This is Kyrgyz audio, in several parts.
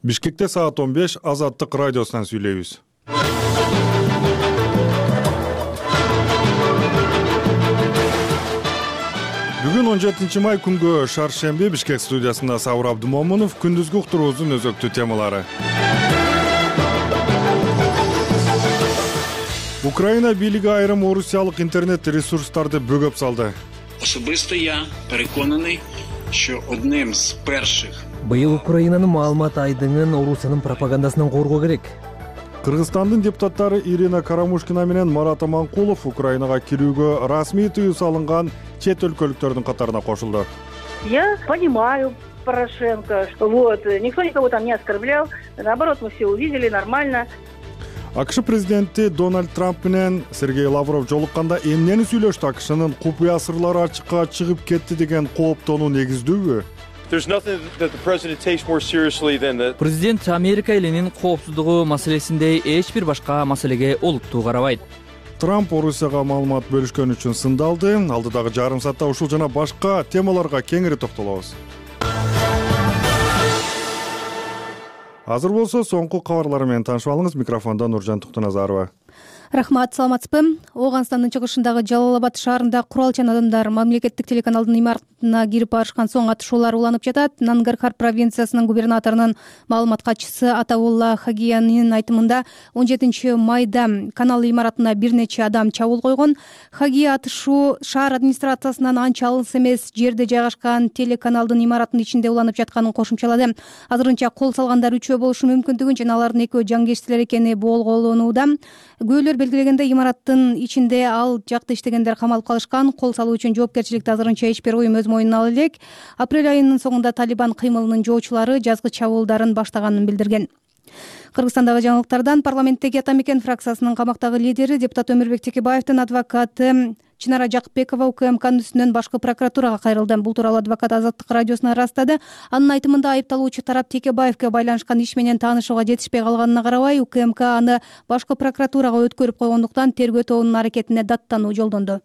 Бишкекте саат 15 Азаттык радиосунан сүйлөйбүз. Бүгүн 17 май күнгө шаршемби Бишкек студиясында Сабыр Абдымомунов күндүзгү уктуруубуздун өзөктүү темалары. Украина бийлиги айрым орусиялык интернет ресурстарды бөгөп салды. Особисто я переконаний, що одним з перших Быйыл Украинанын маалымат айдыңын Орусиянын пропагандасынан коргоо керек. Кыргызстандын депутаттары Ирина Карамушкина менен Марат Аманкулов Украинага кирүүгө расмий тыюу салынган чет өлкөлүктөрдүн катарына кошулду. Я понимаю Порошенко, никто никого там не оскорблял, наоборот, мы все увидели нормально. АКШ президенти Дональд Трамп менен Сергей Лавров жолукканда эмнени сүйлөштү? АКШнын купуя сырлары ачыкка чыгып кетти деген кооптонуу негиздүүбү? Президент Америка элинин коопсуздугу маселесиндей эч бир башка маселеге олуттуу карабайт. Трамп Орусияга маалымат бөлүшкөн үчүн сындалды. Алдыдагы жарым саатта ушул жана башка темаларга кеңири токтолобуз. Азыр болсо соңку кабарлар менен таанышып алыңыз. Микрофондо Нуржан Туктуназарова. Рахмат, саламатсызбы? Ооганстандын чыгышындагы Жалал-Абад шаарында куралчан адамдар мамлекеттик телеканалдын имаратына кирип барышкан соң атышуулар уланып жатат. Нангархар провинциясынын губернаторунун маалымат катчысы Атаулла Хагиянын айтымында 17 майда канал имаратына бир нече адам чабуул койгон. Хагия атышуу шаар администрациясынан анча алыс эмес жерде жайгашкан телеканалдын имаратынын ичинде уланып жатканын кошумчалады. Азырынча кол салгандар 3 болушу мүмкүндүгүн жана алардын 2 жаңгештилер экени болгоолонууда. Күбөлөр белгилегенде имараттын ичинде ал жакта иштегендер камалып калышкан. Кол салуу үчүн жоопкерчиликти азырынча эч бир уюм өз мойнуна ала элек. Апрель айынын соңунда Талибан кыймылынын жоочулары жазгы чабуулдарын баштаганын билдирген. Кыргызстандагы жаңылыктардан парламенттеги Ата Мекен фракциясынын камактагы лидери депутат Өмүрбек Текебаевдин адвокаты Чынара Жакыпбекова УКМКнын үстүнөн башкы прокуратурага кайрылды. Бул тууралуу адвокат Азаттык радиосуна ырастады. Анын айтымында айыпталуучу тарап Текебаевге байланышкан иш менен таанышууга жетишпей калганына карабай, УКМК аны башкы прокуратурага өткөрүп койгондуктан тергөө тобунун аракетине даттануу жолдондо.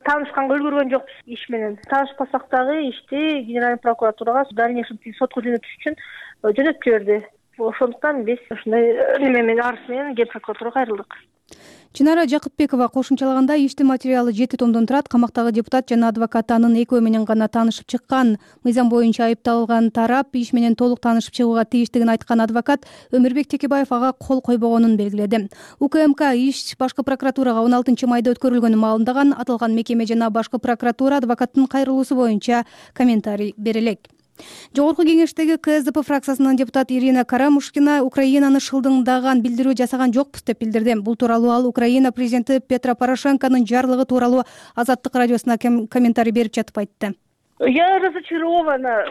Таанышканга үлгүргөн жокпуз иш менен. Таанышпасак дагы ишти Генеральный прокуратурага дальнейшем сотко жөнөтүш үчүн жөнөтүп жиберди. Ошондуктан биз ушундай неме менен арыз менен Ге прокуратурага кайрылдык. Чынара Жакыпбекова кошумчалаганда иштин материалы 7 томдон турат. Камактагы депутат жана адвокат анын экөө менен гана таанышып чыккан. Мыйзам боюнча айыпталган тарап иш менен толук таанышып чыгууга тийиштигин айткан адвокат Өмүрбек Текебаев ага кол койбогонун белгиледи. УКМК иш башкы прокуратурага 16 майда өткөрүлгөнүн маалымдаган. Аталган мекеме жана башкы прокуратура адвокаттын кайрылуусу боюнча комментарий бере элек. Жогорку кеңештеги КСДП фракциясынын депутаты Ирина Карамушкина Украинаны шылдыңдаган билдирүү жасаган жокпуз деп билдирди. Бул тууралуу ал Украина президенти Петро Порошенконун жарлыгы тууралуу Азаттык радиосуна комментарий берип жатып айтты. Я разочарована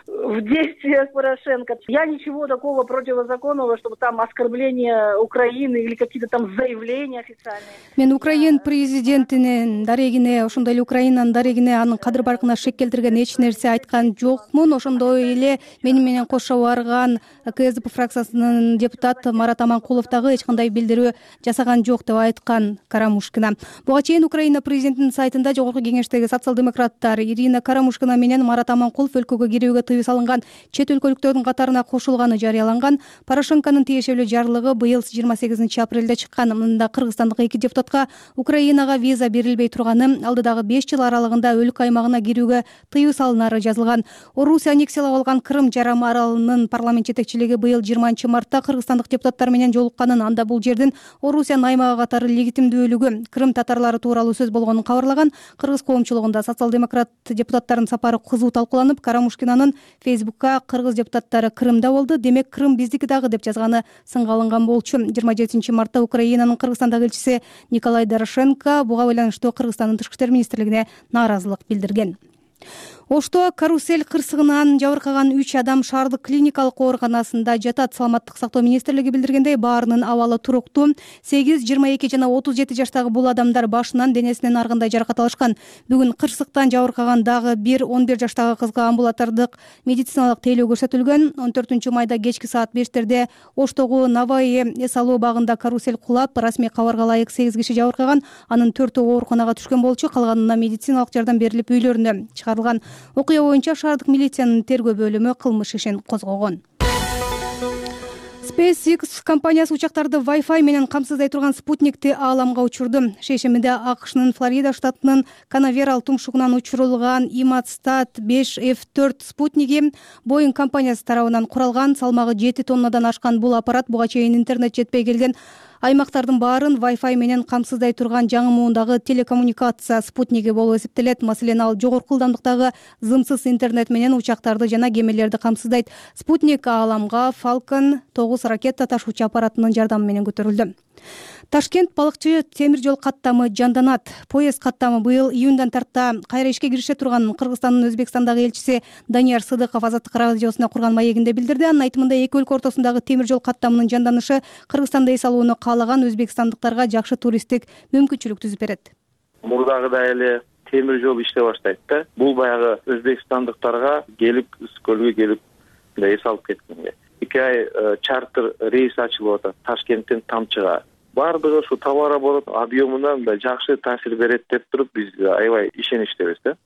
в действиях Порошенко. Я ничего такого противозаконного, чтобы там оскорбления Украины или какие-то там заявления официальные. Мен Украин президентинин дарегине, ошондой эле Украинанын дарегине анын кадыр баркына шек келтирген эч нерсе айткан жокмун. Ошондой эле мени менен кошо барган КСДП фракциясынын депутаты Марат Аманкулов дагы эч кандай билдирүү жасаган жок деп айткан Карамушкина. Буга чейин Украина президентинин сайтында жогорку кеңештеги социал-демократтар Ирина Карамушкина менен Марат Аманкулов өлкөгө кирүүгө тыюу салынган чет өлкөлүктөрдүн катарына кошулганы жарыяланган. Порошенконун тиешелүү жарлыгы быйыл 28 апрелде чыккан. Мында кыргызстандык 2 депутатка Украинага виза берилбей турганы, алдыдагы 5 жыл аралыгында өлкө аймагына кирүүгө тыюу салынары жазылган. Орусия аннексиялап алган Крым жарым аралынын парламент жетекчилиги быйыл 20 мартта кыргызстандык депутаттар менен жолукканын, анда бул жердин Орусиянын аймагы катары легитимдүүлүгү, Крым татарлары тууралуу сөз болгонун кабарлаган. Кыргыз коомчулугунда социал-демократ депутаттардын сапары кызуу талкууланып, Карамушкинанын Фейсбукка кыргыз депутаттары Крымда болду, демек Крым биздики дагы деп жазганы сынга алынган болчу. 27 мартта Украинанын Кыргызстандагы элчиси Николай Дорошенко буга байланыштуу Кыргызстандын тышкы иштер министрлигине нааразылык билдирген. Ошто карусель кырсыгынан жабыркаган 3 адам шаардык клиникалык ооруканасында жатат. Саламаттык сактоо министрлиги билдиргендей, баарынын абалы туруктуу. 8, 22 жана 37 жаштагы бул адамдар башынан, денесинен ар кандай жаракат алышкан. Бүгүн кырсыктан жабыркаган дагы 11 жаштагы кызга амбулатордук медициналык тейлөө көрсөтүлгөн. 14 майда кечки саат 5-терде Оштогу Наваи Эсалоо багында карусель кулап, расмий кабарга ылайык 8 киши жабыркаган. Анын 4-өө ооруканага түшкөн болчу, калганына медициналык жардам берилип үйлөрүнө чыгарылган. Окуя боюнча шаардык милициянын тергөө бөлүмү кылмыш ишин козгогон. SpaceX компаниясы учактарды Wi-Fi менен камсыздай турган спутникти ааламга учурду. Шейшембиде АКШнын Флорида штатынын Канаверал тумшугунан учурулган Иматстат 5F4 спутниги Boeing компаниясы тарабынан куралган. Салмагы 7 тоннадан ашкан бул аппарат буга чейин интернет жетпей келген аймактардын баарын Wi-Fi менен камсыздай турган жаңы муундагы телекоммуникация спутниги болуп эсептелет. Маселен, ал жогорку ылдамдыктагы зымсыз интернет менен учактарды жана кемелерди камсыздайт. Спутник ааламга Falcon 9 ракета ташуучу аппаратынын жардамы менен көтөрүлдү. Ташкент балыкчы темир жол каттамы жанданат. Поезд каттамы быйыл июндан тарта кайра ишке кирише турганын Кыргызстандын Өзбекстандагы элчиси Данияр Сыдыков Азаттык радиосуна курган маегинде билдирди. Анын айтымында эки өлкө ортосундагы темир жол каттамынын жанданышы Кыргызстанда эс алууну каалаган өзбекстандыктарга жакшы туристтик мүмкүнчүлүк түзүп берет. Мурдагыдай эле темир жол иштей баштайт да. Бул баягы өзбекстандыктарга келип Үскөлгө келип эс алып кеткенге. 2 ай чартер рейс ачылып атат Ташкенттен Тамчыга. Бардыгы ушу товарооборот объемуна мындай жакшы таасир берет деп туруп биз аябай ишеничтебиз да.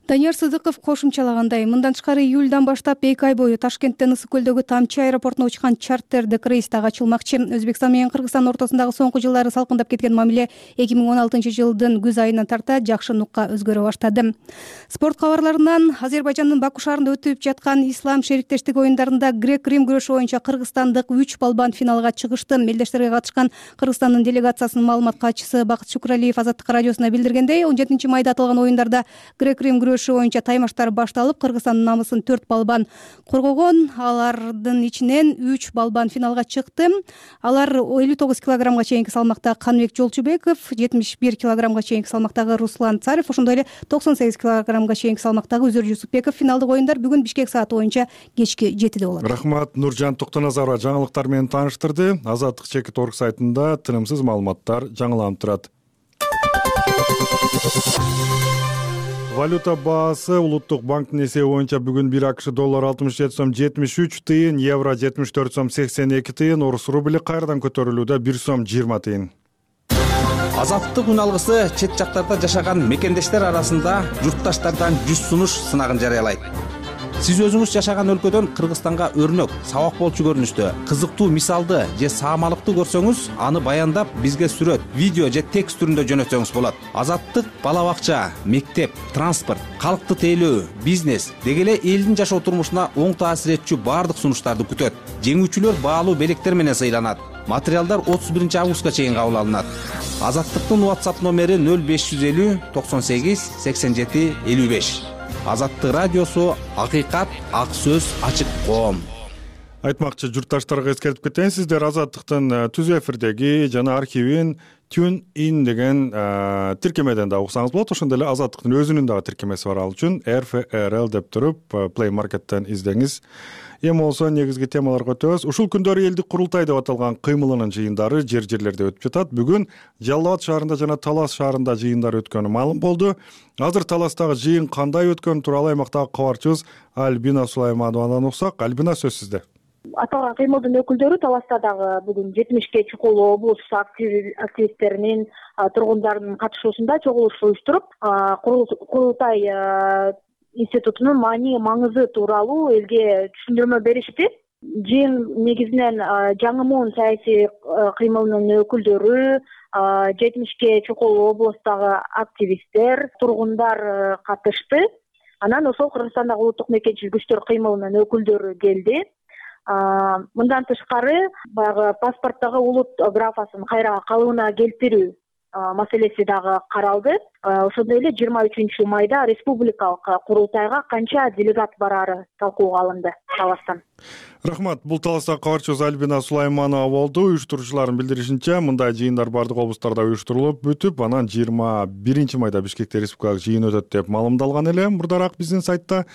Данияр Сыдыков кошумчалагандай, мындан тышкары июлдан баштап 2 ай бою Ташкенттен Ысык көлдөгү Тамчы аэропортуна учкан чартердик рейс дагы ачылмакчы. Өзбекстан менен Кыргызстан ортосундагы соңку жылдары салкындап кеткен мамиле 2016 жылдын күз айынан тарта жакшы нукка өзгөрө баштады. Спорт кабарларынан Азербайжандын Баку шаарында өтүп жаткан Ислам шериктештик оюндарында грек-рим күрөшү боюнча кыргызстандык 3 балбан финалга чыгышты. Мелдештерге катышкан Кыргызстандын делегациясынын маалымат катчысы Бакыт Шукуралиев Азаттык радиосуна билдиргендей, 17 майда аталган оюндарда грек-рим күрөшү боюнча таймаштар башталып, Кыргызстандын намысын 4 балбан коргогон. Алардын ичинен 3 балбан финалга чыкты. Алар 59 килограммга чейинки салмакта Каныбек Жолчубеков, 71 килограммга чейинки салмактагы Руслан Царев, ошондой эле 98 килограммга чейинки салмактагы Үзөр Жусупбеков. Финалдык оюндар бүгүн Бишкек сааты боюнча кечки 7-де болот. Рахмат, Нуржан Токтоназарова жаңылыктар менен тааныштырды. Азаттык Чекит.org сайтында тынымсыз маалыматтар жаңыланып турат. Валюта баасы улуттук банктын эсеби боюнча бүгүн 1 АКШ доллар 67 сом 73 тыйын, евро 74 сом 82 тыйын, орус рубли кайрадан көтөрүлүүдө 1 сом 20 тыйын. Азаттык үн алгысы чет жактарда жашаган мекендештер арасында журтташтардан 100 сунуш сынагын жарыялайт. Сиз өзүңүз жашаган өлкөдөн Кыргызстанга өрнөк, сабак болчу көрүнүштө, кызыктуу мисалды же саамалыкты көрсөңүз, аны баяндап бизге сүрөт, видео же текст түрүндө жөнөтсөңүз болот. Азаттык бала бакча, мектеп, транспорт, калкты тейлөө, бизнес деги эле элдин жашоо турмушуна оң таасир этчү баардык сунуштарды күтөт. Жеңүүчүлөр баалуу белектер менен сыйланат. Материалдар 31 августка чейин кабыл алынат. Азаттыктын WhatsApp номери 0550 98 87 55. Азаттык радиосу акыйкат, ак сөз, ачык коом. Айтмакчы журтташтарга эскертип кетейин, сиздер Азаттыктын түз эфирдеги жана архивин TuneIn деген тиркемеден да уксаңыз болот. Ошондой эле Азаттыктын өзүнүн дагы тиркемеси бар, ал үчүн RFRL деп туруп Play Market'тен издеңиз. Эми болсо негизги темаларга өтөбүз. Ушул күндөрү элдик курултай деп аталган кыймылынын жыйындары жер-жерлерде өтүп жатат. Бүгүн Жалал Абад шаарында жана Талас шаарында жыйындар өткөнү маалым болду. Азыр Таластагы жыйын кандай өткөнү тууралуу аймактагы кабарчыбыз Альбина Сулаймановадан уксак. Альбина, сөз сизде. Аталган кыймылдын өкүлдөрү Таласта дагы бүгүн 70ке чукул облус активисттеринин, тургундардын катышуусунда чогулуш уюштуруп, курултай институтунун маңызы тууралуу элге түшүндүрмө беришти. Жыйын негизинен жаңы муун саясий кыймылынын өкүлдөрү, 70ке чукул облустагы активисттер, тургундар катышты. Анан ошол Кыргызстандагы улуттук мекенчил күчтөр кыймылынын өкүлдөрү келди. Мындан тышкары баягы паспорттогу улут графасын кайра калыбына келтирүү маселеси дагы каралды. Ошондой эле 23 майда республикалык курултайга канча делегат барары талкууга алынды Таластан. Рахмат. Бул Таластагы кабарчыбыз Альбина Сулайманова болду. Уюштуруучулардын билдиришинче, мындай жыйындар бардык облустарда уюштурулуп бүтүп, анан 21 майда Бишкекте республикалык жыйын өтөт деп маалымдалган эле мурдараак биздин сайтта.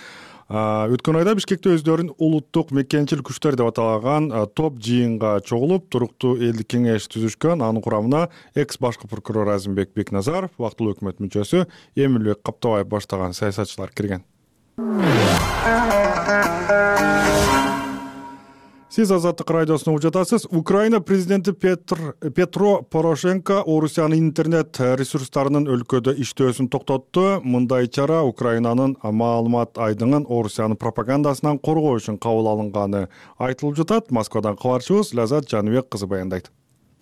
Өткөн айда Бишкекте өздөрүн улуттук мекенчил күчтөр деп аталган топ жыйынга чогулуп, туруктуу элдик кеңеш түзүшкөн. Анын курамына экс-башкы прокурор Азимбек Бекназаров, вактылуу өкмөт мүчөсү Эмилбек Каптабаев баштаган саясатчылар кирген. Сиз Азаттык радиосун угуп жатасыз. Украина президенти Петро Порошенко Орусиянын интернет ресурстарынын өлкөдө иштөөсүн токтотту. Мындай чара Украинанын маалымат айдыңын Орусиянын пропагандасынан коргоо үчүн кабыл алынганы айтылып жатат. Москвадан кабарчыбыз Лазат Жаныбек кызы баяндайт.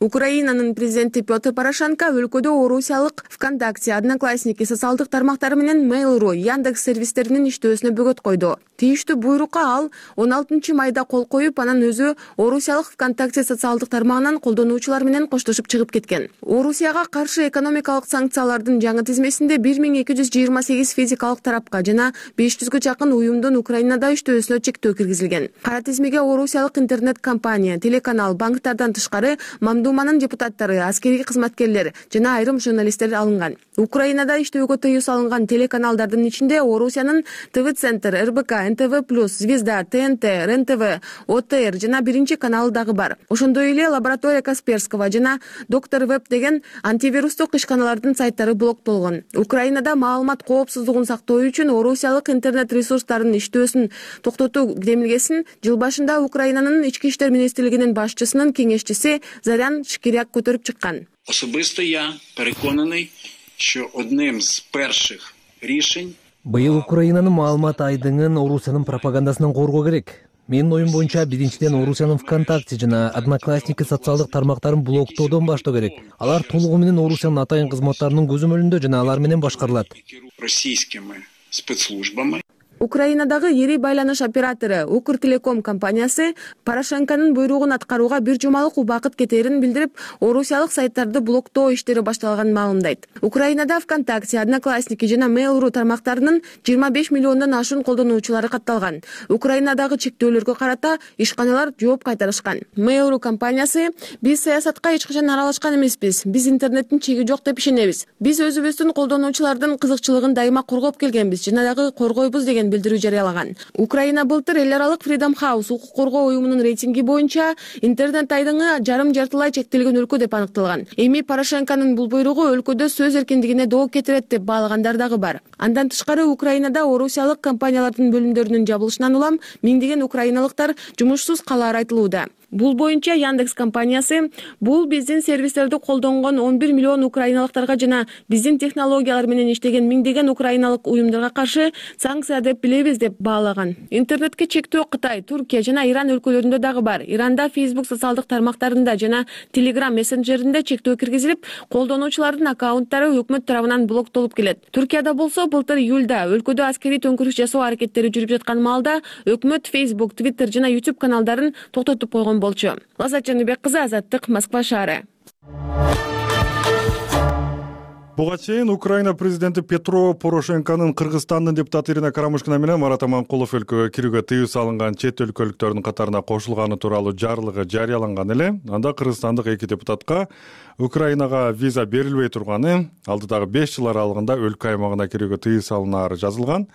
Украинанын президенти Петр Порошенко өлкөдө орусиялык ВКонтакте, Одноклассники социалдык тармактары менен Mail.ru, Яндекс сервистеринин иштөөсүнө бөгөт койду. Тийиштүү буйрукка ал 16 майда кол коюп, анан өзү орусиялык ВКонтакте социалдык тармагынан колдонуучулар менен коштошуп чыгып кеткен. Орусияга каршы экономикалык санкциялардын жаңы тизмесинде 1228 физикалык тарапка жана 500гө жакын уюмдун Украинада иштөөсүнө чектөө киргизилген. Кара тизмеге орусиялык интернет компания, телеканал, банктардан тышкары Мамдуманын депутаттары, аскерий кызматкерлер жана айрым журналисттер алынган. Украинада иштөөгө тыюу салынган телеканалдардын ичинде Орусиянын ТВ-центр, РБК, НТВ+, Звезда, ТНТ, РНТВ, ОТР жана биринчи каналы дагы бар. Ошондой эле Лаборатория Касперского жана Доктор Веб деген антивирустук ишканалардын сайттары блоктолгон. Украинада маалымат коопсуздугун сактоо үчүн орусиялык интернет ресурстарынын иштөөсүн токтотуу демилгесин жыл башында Украинанын ички иштер министрлигинин башчысынын кеңешчиси Зарян Шкиряк көтөрүп чыккан. Особисто я переконаний, що одним з перших рішень быйыл Украинанын маалымат айдыңын Орусиянын пропагандасынан коргоо керек. Менин оюм боюнча биринчиден Орусиянын ВКонтакте жана Одноклассники социалдык тармактарын блоктоодон баштоо керек. Алар толугу менен Орусиянын атайын кызматтарынын көзөмөлүндө жана алар менен башкарылат. російськими спецслужбами. Украинадагы ири байланыш оператору Укртелеком компаниясы Порошенконун буйругун аткарууга бир жумалык убакыт кетерин билдирип, орусиялык сайттарды блоктоо иштери башталганын маалымдайт. Украинада ВКонтакте, Одноклассники жана Mail.ru тармактарынын 25 миллиондон ашуун колдонуучулары катталган. Украинадагы чектөөлөргө карата ишканалар жооп кайтарышкан. Mail.ru компаниясы: "Биз саясатка эч качан аралашкан эмеспиз. Биз интернеттин чеги жок деп ишенебиз. Биз өзүбүздүн колдонуучулардын кызыкчылыгын дайыма коргоп келгенбиз жана дагы коргойбуз" деген билдирүү жарыялаган. Украина былтыр эл аралык Freedom House укук коргоо уюмунун рейтинги боюнча интернет айдыңы жарым-жартылай чектелген өлкө деп аныкталган. Эми Порошенконун бул буйругу өлкөдө сөз эркиндигине доо кетирет деп баалагандар дагы бар. Андан тышкары Украинада орусиялык компаниялардын бөлүмдөрүнүн жабылышынан улам миңдеген украиналыктар жумушсуз калаары айтылууда. Бул боюнча Яндекс компаниясы: "Бул биздин сервистерди колдонгон 11 миллион украиналыктарга жана биздин технологиялар менен иштеген миңдеген украиналык уюмдарга каршы санкция деп билебиз" деп баалаган. Интернетке чектөө Кытай, Туркия жана Иран өлкөлөрүндө дагы бар. Иранда Facebook социалдык тармактарында жана Telegram мессенджеринде чектөө киргизилип, колдонуучулардын аккаунттары өкмөт тарабынан блоктолуп келет. Туркияда болсо былтыр июлда өлкөдө аскерий төңкүрүш жасоо аракеттери жүрүп жаткан маалда өкмөт Facebook, Twitter жана YouTube каналдарын токтотуп койгон болчу. Лазат Жаныбек кызы, Азаттык, Москва шаары. Буга чейин Украина президенти Петро Порошенконун Кыргызстандын депутаты Ирина Карамушкина менен Марат Аманкулов өлкөгө кирүүгө тыюу салынган чет өлкөлүктөрдүн катарына кошулганы тууралуу жарлыгы жарыяланган эле. Анда кыргызстандык эки депутатка Украинага виза берилбей турганы, алдыдагы 5 жыл аралыгында өлкө аймагына кирүүгө тыюу салынаары жазылган.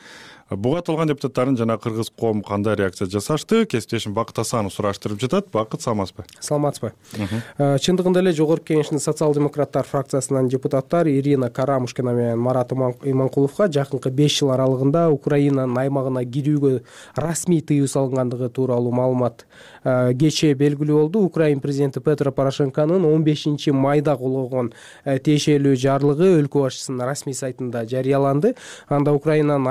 Буга аталган депутаттардын жана кыргыз коому кандай реакция жасашты? Кесиптешим Бакыт Асанов сураштырып жатат. Бакыт, саламатсызбы? Саламатсызбы. Чындыгында эле Жогорку Кеңештин социал-демократтар фракциясынан депутаттар Ирина Карамушкина менен Марат Иманкуловго жакынкы 5 жыл аралыгында Украинанын аймагына кирүүгө расмий тыюу салынгандыгы тууралуу маалымат кечээ белгилүү болду. Украин президенти Петро Порошенконун 15 майда колгогон тиешелүү жарлыгы өлкө башчысынын расмий сайтында жарыяланды. Анда Украинанын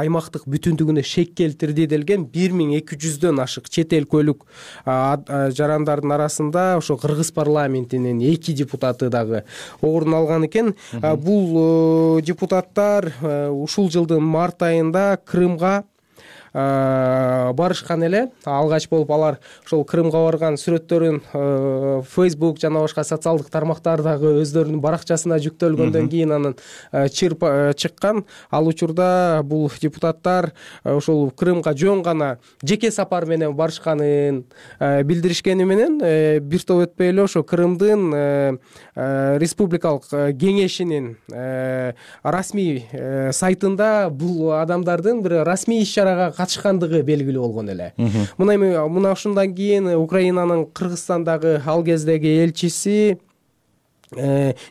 аймактык бүтүндүгүнө шек келтирди делген 1200дөн ашык чет эл көлүк жарандардын арасында ошо кыргыз парламентинин 2 депутаты дагы орун алган экен. Бул депутаттар ушул жылдын март айында Крымга барышкан эле. Алгач болуп алар ошол Крымга барган сүрөттөрүн Facebook жана башка социалдык тармактардагы өздөрүнүн баракчасына жүктөлгөндөн кийин анан чыккан. Ал учурда бул депутаттар ошол Крымга жөн гана жеке сапар менен барышканын билдиришкени менен бир топ өтпөй эле ошо Крымдын республикалык кеңешинин расмий сайтында бул адамдардын бир расмий иш-чарага катышкандыгы белгилүү болгон эле. Мына ушундан кийин Украинанын Кыргызстандагы ал кездеги элчиси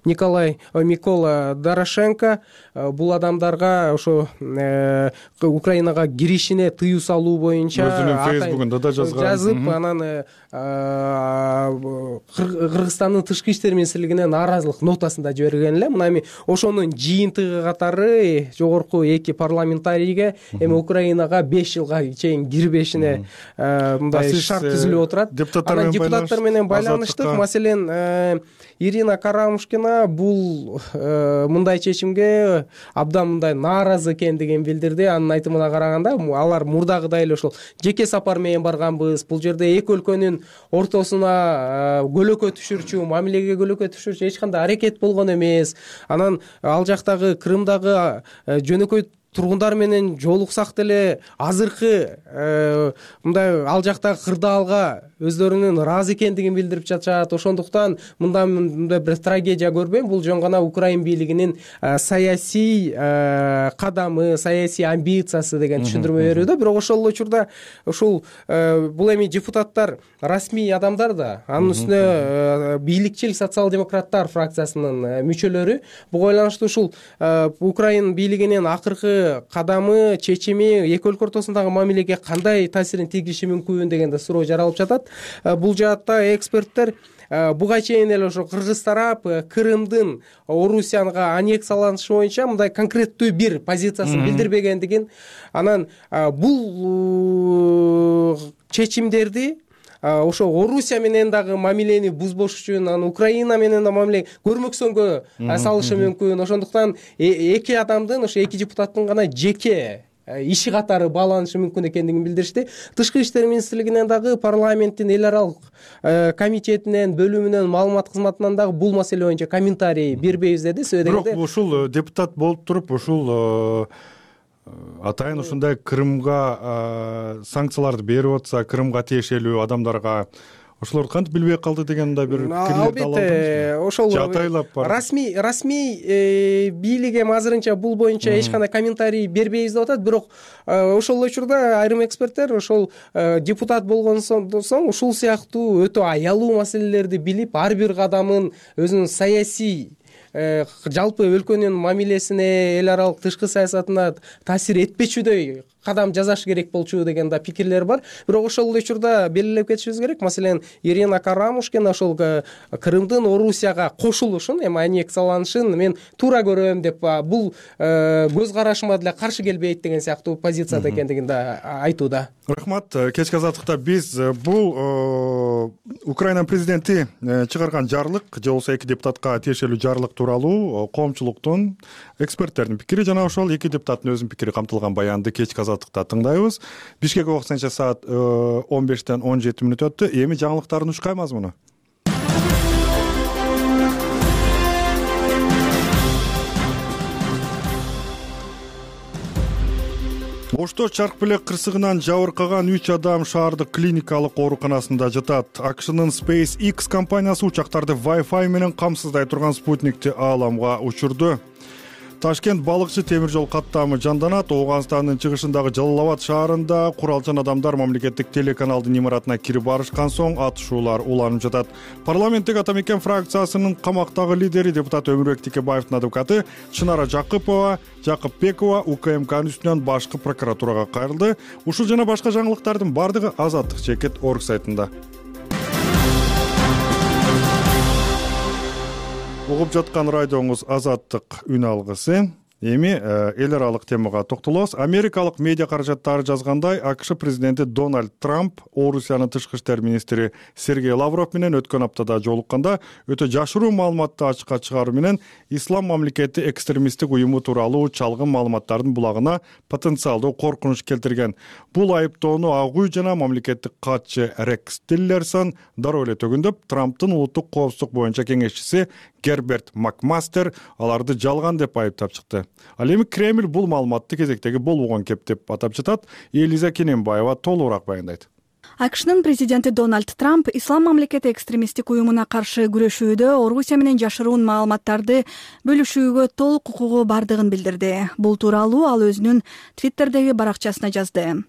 Микола Дорошенко бул адамдарга ошо Украинага киришине тыюу салуу боюнча өзүнүн фейсбугунда да жазып, анан Кыргызстандын тышкы иштер министрлигине нааразылык нотасын да жиберген эле. Мына эми ошонун жыйынтыгы катары жогорку эки парламентарийге эми Украинага 5 жылга чейин кирбешине мындай шарт түзүлүп отурат. Анан депутаттар менен байланыштык. Маселен, Ирина Карамушкина бул мындай чечимге абдан мындай нааразы экендигин билдирди. Анын айтымына караганда, алар мурдагыдай эле ошол жеке сапар менен барганбыз. Бул жерде эки өлкөнүн ортосуна көлөкө түшүрчү, мамилеге көлөкө түшүрчү эч кандай аракет болгон эмес. Анан ал жактагы Крымдагы жөнөкөй тургундар менен жолуксак деле азыркы мындай ал жактагы кырдаалга өздөрүнүн ыраазы экендигин билдирип жатышат. Ошондуктан мындай бир трагедия көрбөйм. Бул жөн гана Украин бийлигинин саясий кадамы, саясий амбициясы деген түшүндүрмө берүүдө. Бирок ошол эле учурда ушул бул эми депутаттар расмий адамдар да, анын үстүнө бийликчил социал-демократтар фракциясынын мүчөлөрү. Буга байланыштуу ушул Украин бийлигинин акыркы кадамы, чечими эки өлкө ортосундагы мамилеге кандай таасирин тийгизиши мүмкүн деген да суроо жаралып жатат. Бул жаатта эксперттер буга чейин эле ошо кыргыз тарап Крымдын Орусияга аннексияланышы боюнча мындай конкреттүү бир позициясын билдирбегендигин, анан бул чечимдерди ошо Орусия менен дагы мамилени бузбош үчүн, анан Украина менен да мамиле көрмөксөнгө салышы мүмкүн. Ошондуктан эки адамдын, ошо эки депутаттын гана жеке иши катары бааланышы мүмкүн экендигин билдиришти. Тышкы иштер министрлигинен дагы, парламенттин эл аралык комитетинен, бөлүмүнөн, маалымат кызматынан дагы бул маселе боюнча комментарий бербейбиз деди. Бирок ушул депутат болуп туруп ушул атайын ушундай Крымга санкцияларды берип атса, Крымга тиешелүү адамдарга ошолорду кантип билбей калды деген да бир пикирлерди ала алдыңызбы? Ошол расмий бийлик эми азырынча бул боюнча эч кандай комментарий бербейбиз деп атат. Бирок ошол учурда айрым эксперттер ошол депутат болгон соң ушул сыяктуу өтө аялуу маселелерди билип, ар бир кадамын өзүнүн саясий жалпы өлкөнүн мамилесине, эл аралык тышкы саясатына таасир этпечүдөй кадам жасаш керек болчу деген да пикирлер бар. Бирок ошол эле учурда белгилеп кетишибиз керек. Маселен, Ирина Карамушкина ошол Крымдын Орусияга кошулушун, эми аннексияланышын мен туура көрөм деп, бул көз карашыма деле каршы келбейт деген сыяктуу позицияда экендигин да айтууда. Рахмат. Кечки азаттыкта биз бул Украина президенти чыгарган жарлык, же болбосо эки депутатка тиешелүү жарлык тууралуу коомчулуктун, эксперттердин пикири жана ошол эки депутаттын өзүнүн пикири камтылган баянды кечки азаттыкта тыңдайбыз. Бишкек убактысынча саат 15-тен 17 мүнөт өттү. Эми жаңылыктардын учкай мазмуну. Ошто чарк белек кырсыгынан жабыркаган 3 адам шаардык клиникалык ооруканасында жатат. AQShnын SpaceX компаниясы учактарды Wi-Fi менен камсыздай турган спутникти ааламга учурду. Ташкент балыкчы темир жол каттамы жанданат. Ооганстандын чыгышындагы Жалал-Абад шаарында куралчан адамдар мамлекеттик телеканалдын имаратына кирип барышкан соң атышуулар уланып жатат. Парламенттик ата мекен фракциясынын камактагы лидери депутат Өмүрбек Тикебаевдин адвокаты Чынара Жакыпбекова УКМКнын үстүнөн башкы прокуратурага кайрылды. Ушул жана башка жаңылыктардын бардыгы Азаттык чекит орг сайтында. Угуп жаткан радиоңуз Азаттык үн алгысы. Эми эл аралык темага токтолобуз. Америкалык медиа каражаттары жазгандай, AQSh президенти Дональд Трамп Орусиянын тышкы иштер министри Сергей Лавров менен өткөн аптада жолукканда өтө жашыруу маалыматты ачыкка чыгаруу менен Ислам мамлекети экстремисттик уюму тууралуу чалгын маалыматтардын булагына потенциалдуу коркунуч келтирген. Бул айыптоону ак үй жана мамлекеттик катчы Рекс Тиллерсон дароо эле төгүндөп, Трамптын улуттук коопсуздук боюнча кеңешчиси Герберт Макмастер аларды жалган деп айыптап чыкты. Ал эми Кремль бул маалыматты кезектеги болбогон кеп деп атап жатат. Элиза Кененбаева толугураак баяндайт. AQShnын президенти Дональд Трамп Ислам мамлекети экстремисттик уюмуна каршы күрөшүүдө Орусия менен жашыруун маалыматтарды бөлүшүүгө толук укугу бардыгын билдирди. Бул тууралуу ал өзүнүн Твиттердеги баракчасына жазды.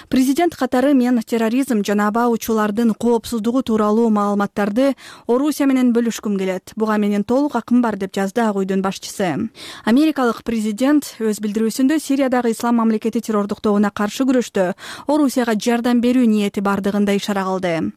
Президент катары мен терроризм жана аба учуулардын коопсуздугу тууралуу маалыматтарды Орусия менен бөлүшкүм келет. Буга менин толук акым бар, деп жазды Ак үйдүн башчысы. Америкалык президент өз билдирүүсүндө Сириядагы ислам мамлекети террордуктоогуна каршы күрөштө Орусияга жардам берүү ниети бардыгында ишара кылды.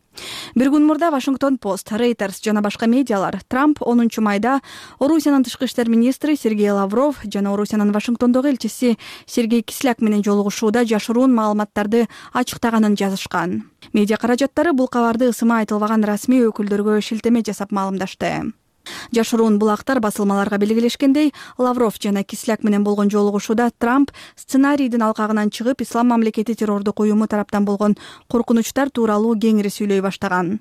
Бир күн мурда Вашингтон Пост, Reuters жана башка медиалар Трамп 10 майда Орусиянын тышкы иштер министри Сергей Лавров жана Орусиянын Вашингтондогу элчиси Сергей Кисляк менен жолугушууда жашыруун маалыматтарды ачыктаганын жазышкан. Медиа каражаттары бул кабарды ысыма айтылбаган расмий өкүлдөргө шилтеме жасап маалымдашты. Жашыруун булактар басылмаларга белгилешкендей, Лавров жана Кисляк менен болгон жолугушууда Трамп сценарийдин алкагынан чыгып, ислам мамлекети террордук уюму тараптан болгон коркунучтар тууралуу кеңири сүйлөй баштаган.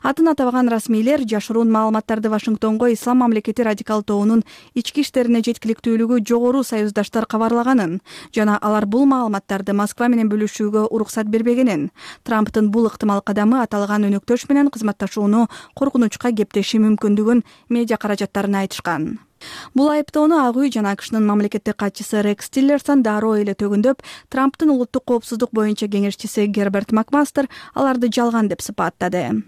Атын атабаган расмийлер жашыруун маалыматтарды Вашингтонго ислам мамлекети радикал тобунун ички иштерине жеткиликтүүлүгү жогору союздаштар кабарлаганын жана алар бул маалыматтарды Москва менен бөлүшүүгө уруксат бербегенин, Трамптын бул ыктымал кадамы аталган өнөктөш менен кызматташууну коркунучка кептеши мүмкүндүгүн медиа каражаттарына айтышкан. Бул айыптоону Ак үй жана АКШнын мамлекеттик катчысы Рекс Тиллерсон дароо эле төгүндөп, Трамптын улуттук коопсуздук боюнча кеңешчиси Герберт Макмастер аларды жалган деп сыпаттады.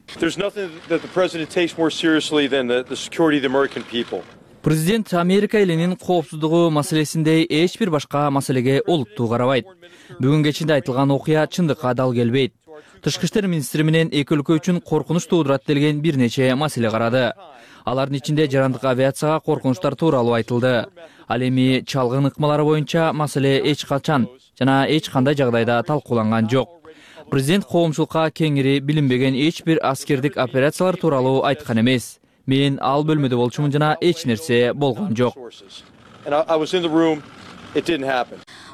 Президент Америка элинин коопсуздугу маселесиндей эч бир башка маселеге олуттуу карабайт. Бүгүн кечинде айтылган окуя чындыкка дал келбейт. Тышкы иштер министри менен эки өлкө үчүн коркунуч туудурат делген бир нече маселе карады. Алардын ичинде жарандык авиацияга коркунучтар тууралуу айтылды. Ал эми чалгын ыкмалары боюнча маселе эч качан жана эч кандай жагдайда талкууланган жок. Президент коомчулукка кеңири билинбеген эч бир аскердик операциялар тууралуу айткан эмес. Мен ал бөлмөдө болчумун жана эч нерсе болгон жок.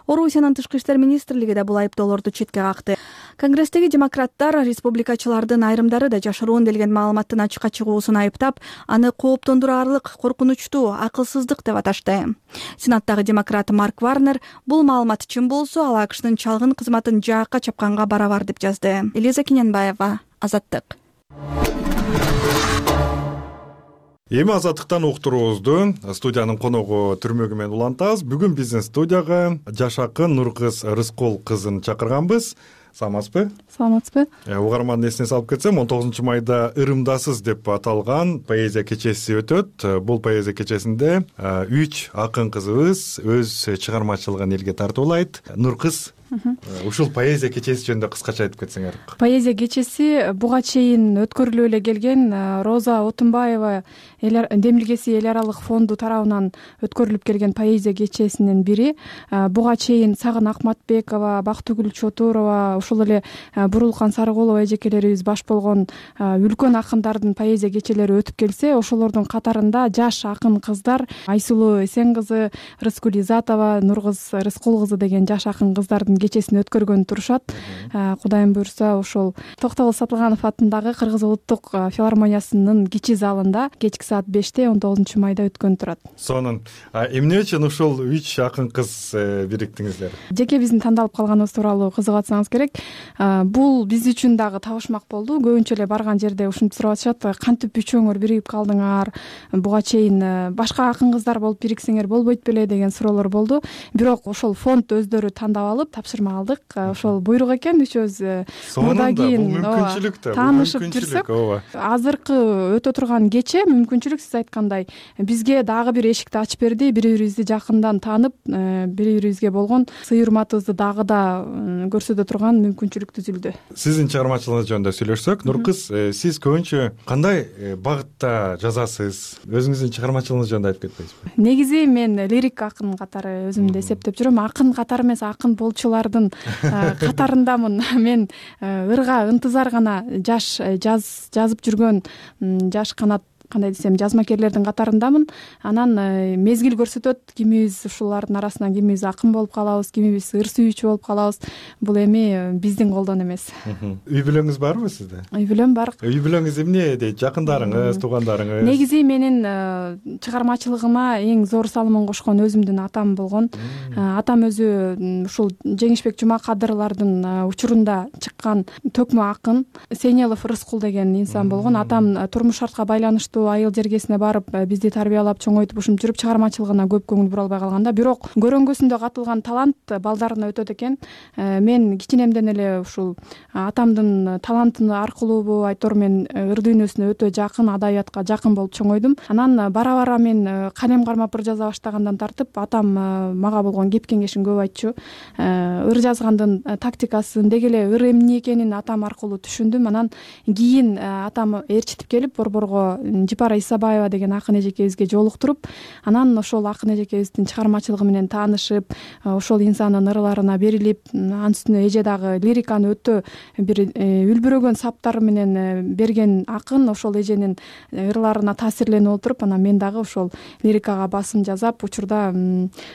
Орусиянын тышкы иштер министрлиги да бул айыптоолорду четке какты. Конгресстеги демократтар республикачылардын айрымдары да жашыруун делген маалыматтын ачыкка чыгуусун айыптап, аны кооптондураарлык, коркунучтуу, акылсыздык деп аташты. Сенаттагы демократ Марк Варнер бул маалымат чын болсо, ал АКШнын чалгын кызматын жаакка чапканга барабар деп жазды. Элиза Киненбаева, Азаттык. Эми Азаттыктан уктуруубузду студиянын коногу Түрмөгү менен улантабыз. Бүгүн биздин студияга жаш акын Нуркыз Рыскул кызын чакырганбыз. Саламатсызбы? Саламатсызбы? Угармандын эсине салып кетсем, 19 майда Ырымдасыз деп аталган поэзия кечеси өтөт. Бул поэзия кечесинде 3 акын кызыбыз өз чыгармачылыгын элге тартуулайт. Нуркыз, ушул поэзия кечеси жөнүндө кыскача айтып кетсеңер. Поэзия кечеси буга чейин өткөрүлүп эле келген. Роза Отунбаева демилгеси эл аралык фонду тарабынан өткөрүлүп келген поэзия кечесинин бири. Буга чейин Сагын Акматбекова, Бактыгүл Чотурова, ушул эле Бурулкан Сарыгулова эжекелерибиз баш болгон үлкөн акындардын поэзия кечелери өтүп келсе, ошолордун катарында жаш акын кыздар Айсулуу Эсен кызы, Рыскүл Изатова, Нуркыз Рыскул кызы деген жаш акын кыздардын кечесин өткөргөн турушат. Кудайым буйрса, ошол Токтогул Сатылганов атындагы Кыргыз улуттук филармониясынын кичи залында кечки саат 5-те 19 майда өткөн турат. Сонун эмне үчүн ушул 3 акын кыз бириктиңиздер? Жеке биздин тандалып калганыбыз тууралуу кызыгатсаңыз керек. Бул биз үчүн дагы табышмак болду. Көбүнчө эле барган жерде ушинтип сурап атышат, кантип үчөөңөр биригип калдыңар? Буга чейин башка акын кыздар болуп бириксеңер болбойт беле деген суроолор болду. Бирок ошол фонд өздөрү тандап алып тапшырма алдык. Ошол буйрук экен, үчөөбүз мындан кийин таанышып жүрсөк, азыркы өтө турган кече мүмкүнчүлүк, сиз айткандай, бизге дагы бир эшикти ачып берди. Бири-бирибизди жакындан таанып, бири-бирибизге болгон сый урматыбызды дагы да көрсөтө турган мүмкүнчүлүк түзүлдү. Сиздин чыгармачылыгыңыз жөнүндө сүйлөшсөк, Нуркыз, сиз көбүнчө кандай багытта жазасыз? Өзүңүздүн чыгармачылыгыңыз жөнүндө айтып кетпейсизби? Негизи мен лирик акын катары өзүмдү эсептеп жүрөм. Акын катары эмес, акын болчулардын катарындамын. Мен ырга ынтызар гана жаш жазып жүргөн жаш канат, кандай десем, жазмакерлердин катарындамын. Анан мезгил көрсөтөт, кимибиз ушулардын арасынан кимибиз акын болуп калабыз, кимибиз ыр сүйүүчү болуп калабыз. Бул эми биздин колдон эмес. Үй бүлөңүз барбы сизде? Үй бүлөм бар. Үй бүлөңүз эмне дейт? Жакындарыңыз, туугандарыңыз? Негизи менин чыгармачылыгыма эң зор салымын кошкон өзүмдүн атам болгон. Атам өзү ушул Жеңишбек Жумакадырлардын учурунда чыккан төкмө акын Сейнелов Рыскул деген инсан болгон. Атам турмуш шартка байланыштуу ушул айыл жергесине барып бизди тарбиялап чоңойтуп ушинтип жүрүп чыгармачылыгына көп көңүл бура албай калган да. Бирок көрөнгөсүндө катылган талант балдарына өтөт экен. Мен кичинемден эле ушул атамдын талантыны аркылуубу айтор, мен ыр дүйнөсүнө өтө жакын, адабиятка жакын болуп чоңойдум. Анан бара мен калем кармап ыр жаза баштагандан тартып атам мага болгон кеп кеңешин көп айтчу. Ыр жазгандын тактикасын, деги эле ыр эмне экенин атам аркылуу түшүндүм. Анан кийин атам ээрчитип келип Борборго Жипара Исабаева деген акын эжекебизге жолуктуруп, анан ошол акын эжекебиздин чыгармачылыгы менен таанышып, ошол инсандын ырларына берилип, анын үстүнө эже дагы лириканы өтө бир үлбүрөгөн саптары менен берген акын. Ошол эженин ырларына таасирленип отуруп, анан мен дагы ошол лирикага басым жасап, учурда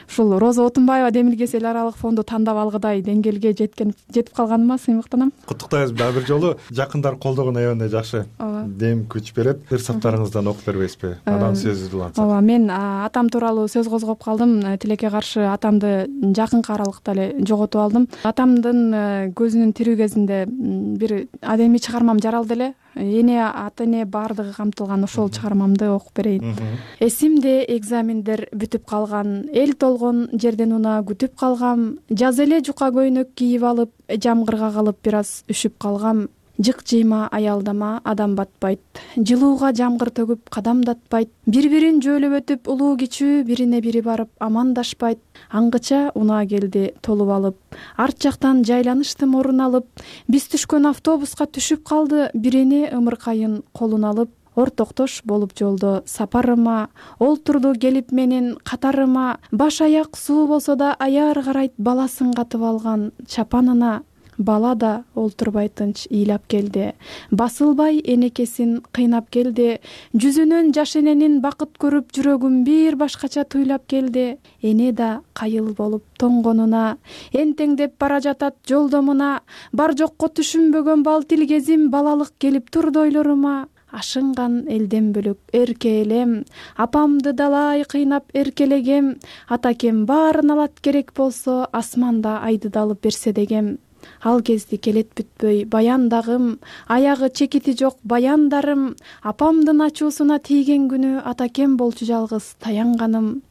ушул Роза Отунбаева демилгеси эл аралык фонду тандап алгыдай деңгээлге жетип калганыма сыймыктанам. Куттуктайбыз. Дагы бир жолу жакындар колдогон аябай жакшы дем күч берет. Ыр саптарыңыздан окуп бербейсизби? Анан сөзү улантсак. Ооба, мен атам тууралуу сөз козгоп калдым. Тилекке каршы атамды жакынкы аралыкта эле жоготуп алдым. Атамдын көзүнүн тирүү кезинде бир адемий чыгармам жаралды эле. Эне ата эне баардыгы камтылган ошол чыгармамды окуп берейин. Эсимде экзамендер бүтүп калган, эл толгон жерден унаа күтүп калгам, жаз эле жука көйнөк кийип алып, жамгырга калып бир аз үшүп калгам. Жык жыйма аялдама, адам батпайт, жылууга жамгыр төгүп кадамдатпайт, бири-бирин жөөлөп өтүп улуу кичүү бирине бири барып амандашпайт. Аңгыча унаа келди толуп алып, арт жактан жайланыштым орун алып, биз түшкөн автобуска түшүп калды бирини ымыркайын колун алып. Ортоктош болуп жолдо сапарыма, олтурду келип менин катарыма, баш аяк суу болсо да аяр карайт баласын катып алган чапанына. Бала да олтурбай тынч ыйлап келди, басылбай энекесин кыйнап келди, жүзүнөн жаш эненин бакыт көрүп жүрөгүм бир башкача туйлап келди. Эне да кайыл болуп тоңгонуна, энтеңдеп бара жатат жолдомуна, бар жокко түшүнбөгөн бал тилгезим балалык келип турду ойлорума. Ашынган элден бөлөк эрке элем, апамды далай кыйнап эркелегем, атакем баарын алат керек болсо асманда айды да алып берсе дегем. Ал кезде келет бүтпөй баяндагым, аягы чекити жок баяндарым, апамдын ачуусуна тийген күнү атакем болчу жалгыз таянганым.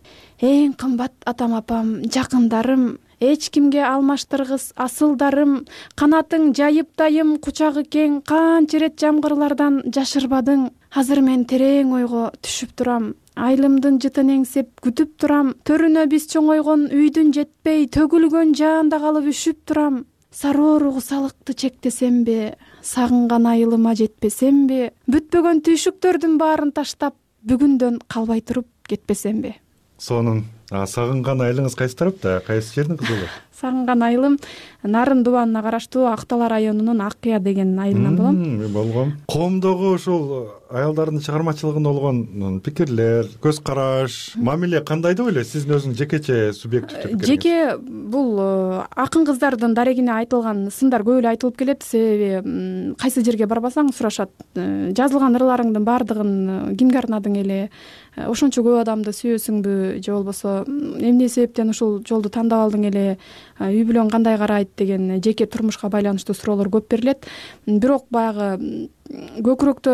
Эң кымбат атам апам жакындарым, эч кимге алмаштыргыс асылдарым, канатың жайып дайым кучагы кең, канча ирет жамгырлардан жашырбадың. Азыр мен терең ойго түшүп турам, айлымдын жытын эңсеп күтүп турам, төрүнө биз чоңойгон үйдүн жетпей төгүлгөн жаанда калып үшүп турам. Сароо кусалыкты чектесемби, сагынган айылыма жетпесемби, бүтпөгөн түйшүктөрдүн баарын таштап бүгүндөн калбай туруп кетпесемби. Сонун сагынган айылыңыз кайсы тарапта, кайсы жердин кызы? Сагынган айылым Нарын дубанына караштуу Актала районунун Аккыя деген айылынан болом. Болгон. Коомдогу ушул аялдардын чыгармачылыгында болгон пикирлер, көз караш, мамиле кандай деп ойлойсуз? Сиздин өзүңүз жекече субъективдүү пикир. Жеке бул акын кыздардын дарегине айтылган сындар көп эле айтылып келет. Себеби кайсы жерге барбасаң сурашат. Жазылган ырларыңдын баардыгын кимге арнадың эле? Ошончо көп адамды сүйөсүңбү же болбосо эмне себептен ушул жолду тандап алдың эле? Үй бүлөң кандай карайт деген жеке турмушка байланыштуу суроолор көп берилет. Бирок баягы көкүрөктө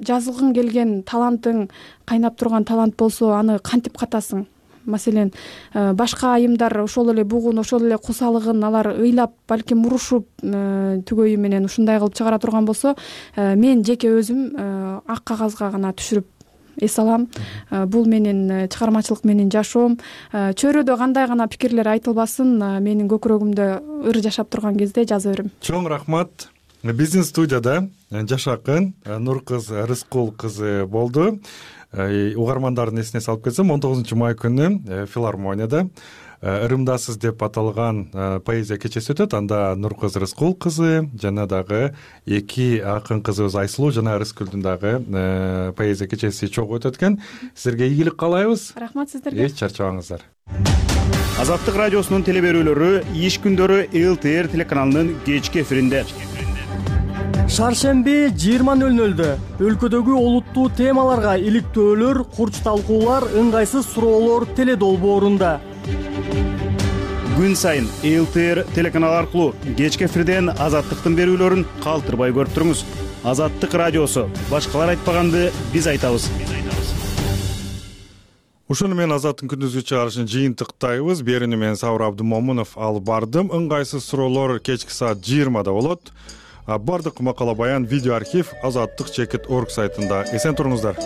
жазылгың келген талантың, кайнап турган талант болсо аны кантип катасың? Маселен, башка айымдар ошол эле бугун, ошол эле кусалыгын алар ыйлап, балким урушуп, түгөйү менен ушундай кылып чыгара турган болсо, мен жеке өзүм ак кагазга гана түшүрүп эс алам. Бул менин чыгармачылык менин жашоом. Чөйрөдө кандай гана пикирлер айтылбасын, менин көкүрөгүмдө ыр жашап турган кезде жаза берем. Чоң рахмат. Биздин студияда жаш акын Нуркыз Рыскул кызы болду. Угармандардын эсине салып кетсем, 19 май күнү филармонияда Ырымдасыз деп аталган поэзия кечеси өтөт. Анда Нуркыз Рыскул кызы жана дагы эки акын кызыбыз Айсулуу жана Рыскүлдүн дагы поэзия кечеси чогуу өтөт экен. Силерге ийгилик каалайбыз. Рахмат сиздерге. Эч чарчабаңыздар. Азаттык радиосунун теле берүүлөрү иш күндөрү ЛТР телеканалынын кечки эфиринде. Шаршемби 20:00 өлкөдөгү олуттуу темаларга иликтөөлөр, курч талкуулар, ыңгайсыз суроолор теле долбоорунда. Күн сайын ЛТР телеканалы аркылуу кечки эфирден азаттыктын берүүлөрүн калтырбай көрүп туруңуз. Азаттык радиосу. Башкалар айтпаганды биз айтабыз. Ушуну менен Азаттын күндүзгү чыгарышын жыйынтыктайбыз. Берүүнү мен Сабыр Абдымомунов алып бардым. Ыңгайсыз суроолор кечки саат 20-да болот. Бардык макала баян видео архив azattik.org сайтында. Эсен туруңуздар.